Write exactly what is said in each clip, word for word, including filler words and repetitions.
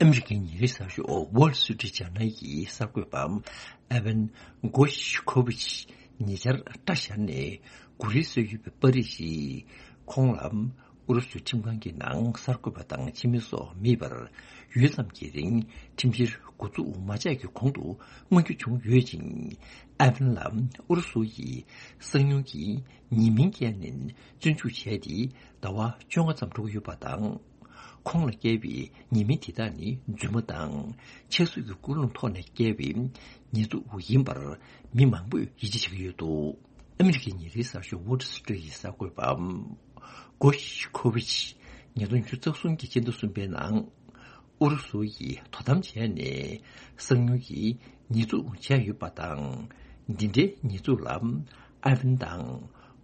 ཨ་མི་རི་ཀའི་ཉིན་རེའི་གསར་ཤོག་Wall Street Journal་ཡི་གསར་འགོད་པ་ཨེ་ཝན་གོ་ཤི་ཁོ་ཝི་ཆི་ཉེ་ཆར་སྐྲ་བཞར་ནས་གུ་རུའི་སྲོལ་ཡོད་པའི་པར་རིས་ཤིག་ཁོང་ལ་ཨུ་རུ་སུའི་ཁྲིམས་ཁང་གི་ནང་གསར་འགོད་པ་དང་ཕྱི་མི་སོགས་མེད་པར་ཡུད་ཙམ་གྱི་རིང་ཁྲིམས་བཤེར་འགོ་འཛུགས་མ་བྱས་ཀྱི་གོང་དུ་མངོན་འགྱུར་བྱུང་ཡོད་ཅིང་། ཨེ་ཝན་ལ་ཨུ་རུ་སུ་ཡིས་གསང་མྱུལ་གྱི་ཉེས་མིང་བཀལ་ནས་བཙོན་འཇུག་བྱས་ཏེ་ཟླ་བ་བཅོ་ལྔ་ཙམ་འགྲོ་གི་ཡོད་པ་དང་། ཁོང་ལ་བཀལ་བའི་ཉེས་མིང་དེ་དག་ནི་རྫུན་མ་དང་ཆབ་སྲིད་ཀྱི་ཀུན་སློང་ཐོག་ནས་བཀལ་བའི་ཉེས་འཛུགས་ཡིན་པར་མི་མང་པོས་ཡིད་ཆེས་བྱེད་ཀྱི་ཡོད་འདུག་ཨ་མི་རི་ཀའི་ཉིན་རེའི་གསར་ཤོག་Wall Street་ཡི་གསར་འགོད་པ་གོ་ཤི་ཁོ་ཝི་ཆི་ཉིས་སྟོང་ཉི་ཤུ་རྩ་གསུམ་གྱི་སྤྱི་ཟླ་གསུམ་པའི་ནང་ཨུ་རུ་སུ་ཡིས་དོ་དམ་བྱས་ནས་གསང་མྱུལ་གྱི་ཉེས་འཛུགས་བྱས་ཡོད་པ་དང་། འདི་འདྲའི་ཉེས་འཛུགས་ལ་ཨེ་ཝན་དང་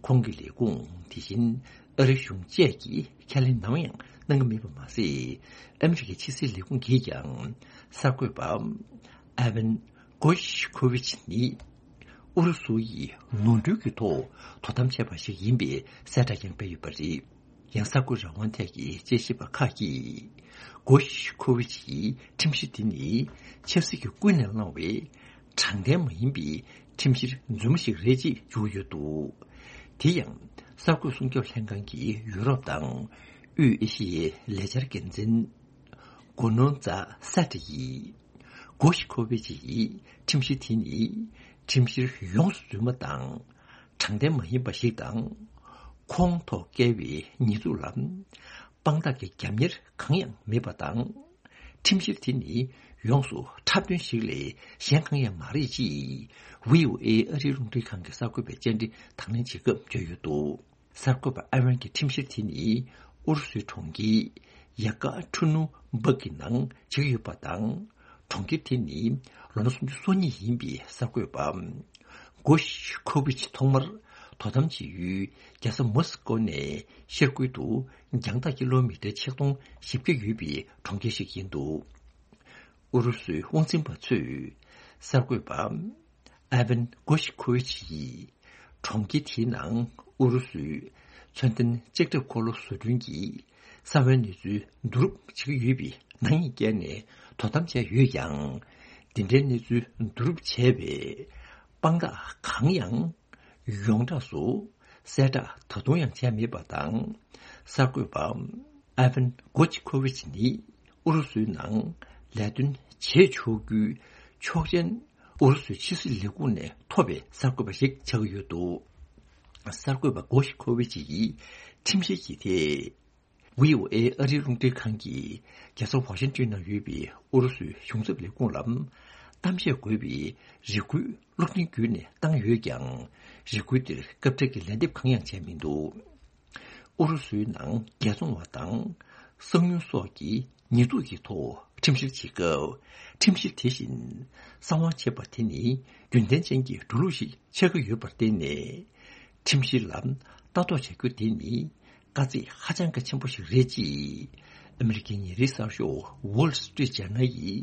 ཁོང་གི་ལས་ཁུངས། དེ་བཞིན་ཨ་རི་གཞུང་བཅས་ཀྱིས་ཁས་ལེན་ནམ་ཡང་གནང་གི་མེད་པ་མ་ཟད། ཨ་མི་རི་ཀའི་ཕྱི་སྲིད་ལས་ཁུངས་ཀྱིས་ཀྱང་གསར་འགོད་པ་ཨེ་ཝན་གོ་ཤི་ཁོ་ཝི་ཆི་ནི་ཨུ་རུ་སུ་ཡིས་ནོར་འཁྲུལ་གྱི་ཐོག་དོ་དམ་བྱས་པ་ཞིག་ཡིན་པའི་གསལ་བསྒྲགས་ཀྱང་སྤེལ་ཡོད་པ་རེད། ཡང་གསར་འགོད་རང་དབང་ཐད་ཀྱི་དཔྱད་ཞིབ་པ་ཁག་གིས་གོ་ཤི་ཁོ་ཝི་ཆིའི་ཁྲིམས་གཞི་འདི་ནི་ཆབ་སྲིད་ཀྱིས་ཀུན་ནས་བསླངས་པའི་དྲང་བདེན་མ་ཡིན་པའི་ཁྲིམས་གཞི་རྫུན་མ་ཞིག་རེད་ཅེས་བརྗོད་ཡོད་འདུག་དེ་ཡང་གསར་འགོད་སྲུང་སྐྱོབ་ལྷན་ཁང་གི་ཡུ་རོབ་དང་དབུས་ཨེ་ཤི་ཡའི་ལས་འཆར་འགན་འཛིན་གོ་ནོ་ཛ་སེ་ཏྲ་ཡིས་གོ་ཤི་ཁོ་ཝི་ཆི་ཡི་ཁྲིམས་གཞི་དེ་ནི་ཁྲིམས་གཞི་ཡོངས་སུ་རྫུན་མ་དང་། དྲང་བདེན་མ་ཡིན་པ་ཞིག་དང་། ཁོང་ཐོག་བཀལ་བའི་ཉེས་འཛུགས་ལ་དཔང་རྟགས་ཀྱི་རྒྱབ་གཉེར་གང་ཡང་མེད་པ་དང་། ཁྲིམས་གཞི་དེ་ནི་ཡོངས་སུ་འཁྲབ་སྟོན་ཞིག་ལས་གཞན་གང་ཡང་མ་རེད་ཅེས་ཝི་ཨོ་ཨེ་ཨ་རིའི་རླུང་འཕྲིན་ཁང་གི་གསར་འགོད་པས་བཅར་འདྲི་དང་ལེན་བྱེད་སྐབས་བརྗོད་ཡོད་འདུག་གསར་འགོད་པ་ཨ་ཝན་གྱི་ཁྲིམས་གཞིར་དེ་ནི་ཨུ་རུ་སུའི་གྲོང་ཁྱེར་ཡ་ཀ་ཁྲུ་ནུ་འབག་གི་ནང་བྱེད་ཀྱི་ཡོད་པ་དང་། གྲོང་ཁྱེར་དེ་ནི་ལོ་ན་སུམ་ཅུ་སོ་གཉིས་ཡིན་པའི་གསར་འགོད་པ་གོ་ཤི་ཁོ་ཝི་ཆི་ཐོག་མར་དོ་དམ་བྱེད་ཡུལ་རྒྱལ་ས་མོ་སི་ཀོ་ནས་ཤར་ཁུལ་དུ་རྒྱང་ཐག་ཀི་ལོ་མི་ཊར་ཆིག་སྟོང་བཞི་བརྒྱ་ཡོད་པའི་གྲོང་ཁྱེར་ཞིག་ཡིན་འདུག་ཨུ་རུ་སུའི་དབང་འཛིན་པ་ཚོས་གསར་འགོད་པ་ཨེ་ཝན་གོ་ཤི་ཁོ་ཝི་ཆི་ཡིས་གྲོང་ཁྱེར་དེའི་ནང་ཨུ་རུ་སུའི་མཚོན་ལྡན་ལྕགས་ཁྲབ་འཁོར་ལོ་བཟོ་སྐྲུན་གྱི་གསང་བའི་གནས་ཚུལ་བསྡུ་རུབ་བྱེད་ཀྱི་ཡོད་པའི་ནག་ཉེས་བཀལ་ནས་དོ་དམ་བྱས་ཡོད་ཀྱང་། འདི་འདྲའི་གནས་ཚུལ་བསྡུ་རུབ་བྱས་པའི་དཔང་རྟགས་གང་ཡང་ཡོངས་གྲགས་སུ་གསལ་བསྒྲགས་ད་དུང་ཡང་བྱས་མེད་པ་དང་། གསར་འགོད་པ་ཨེ་ཝན་གོ་ཅི་ཁོ་ཝི་ཆི་ནི་ཨུ་རུ་སུའི་ནང་ལས་དོན་བྱེད་ཆོག་རྒྱུའི་ཆོག་མཆན་ཨུ་རུ་སུའི་ཕྱི་སྲིད་ལས་ཁུངས་ནས་ཐོབ་པའི་གསར་འགོད་པ་ཞིག་ཆགས་ཀྱི་ཡོད་འདུག་གསར་འགོད་པ་གོ་ཤི་ཁོ་ཝི་ཆི་ཡིས་ཁྲིམས་གཞི་ཡི་ཐད། ཝི་ཨོ་ཨེ་ཨ་རིའི་རླུང་འཕྲིན་ཁང་གིས་རྒྱལ་ས་ཝ་ཤིང་ཊོན་ནང་ཡོད་པའི་ཨུ་རུ་སུའི་གཞུང་ཚབ་ལས་ཁུངས་ལ་གཏམ་བཤད་དགོས་པའི་རེ་སྐུལ་གློག་འཕྲིན་བརྒྱུད་ནས་བཏང་ཡོད་ཀྱང་། རེ་སྐུལ་དེར་སྐབས་འཕྲལ་གྱི་ལན་འདེབས་གང་ཡང་བྱས་མི་འདུག་ཨུ་རུ་སུའི་ནང་རྒྱལ་བཙོང་བ་དང་གསང་ཉུལ་སོགས་ཀྱི་ཉེས་འཛུགས་ཀྱི་ཐོག་ཁྲིམས་བཤེར་བྱེད་སྐབས། ཁྲིམས་གཞི་དེ་བཞིན་གསང་བ་བྱེད་པ་དེ་ནི་རྒྱུན་ལྡན་ཅན་གྱི་འགྲོ་ལུགས་ཤིག་ཆགས་ཀྱི་ཡོད་པར་བརྟེན་ནས། ཁྲིམས་གཞི་ལ་ལྟ་རྟོག་བྱ་རྒྱུ་དེ་ནི་དཀའ་ཚེགས་ཧ་ཅང་གི་ཆེན་པོ་ཞིག་རེད་ཅེས་ཨ་མི་རི་ཀའི་ཉིན་རེའི་གསར་ཤོག་Wall Street Journal་ཡི་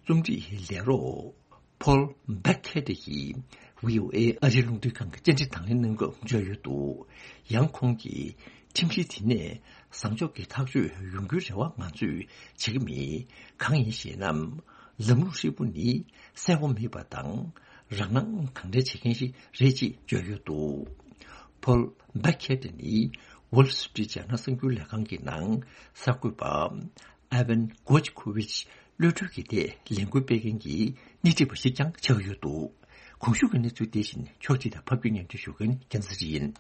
རྩོམ་སྒྲིག་ལས་རོགས་Paul Buckett་ཡིས་ཝི་ཨོ་ཨེ་ཨ་རིའི་རླུང་འཕྲིན་ཁང་གི་བཅར་འདྲི་དང་ལེན་གནང་སྐབས་བརྗོད་ཡོད་འདུག་ཡང་ཁོང་གིས་ཁྲིམས་གཞི་དེ་ནས་བཟང་ཕྱོགས་ཀྱི་ཐག་གཅོད་ཡོང་རྒྱུའི་རེ་བ་ང་ཚོས་བྱེད་ཀྱི་མེད། གང་ཡིན་ཞེ་ན། ལམ་ལུགས་ཧྲིལ་པོ་ནི་གསལ་པོ་མེད་པ་དང་། རང་སྣང་གང་དྲན་བྱེད་མཁན་ཞིག་རེད་ཅེས་བརྗོད་ཡོད་འདུག Paul Buckett་ནི་Wall Street Journal་གསར་འགྱུར་ལས་ཁང་གི་ནང་གསར་འགོད་པ་Evan Gershkovich་གློད་གྲོལ་གྱི་ཐད་ལས་འགུལ་སྤེལ་མཁན་གྱི་སྣེ་ཁྲིད་པ་ཞིག་ཀྱང་ཆགས་ཡོད་འདུག་གོང་ཞུས་ཀྱི་གནས་ཚུལ་དེ་བཞིན་ཕྱོགས་སྒྲིག་དང་ཕབ་སྒྱུར་སྙན་སྒྲོན་ཞུ་མཁན་རྒྱལ་མཚན་ཡིན།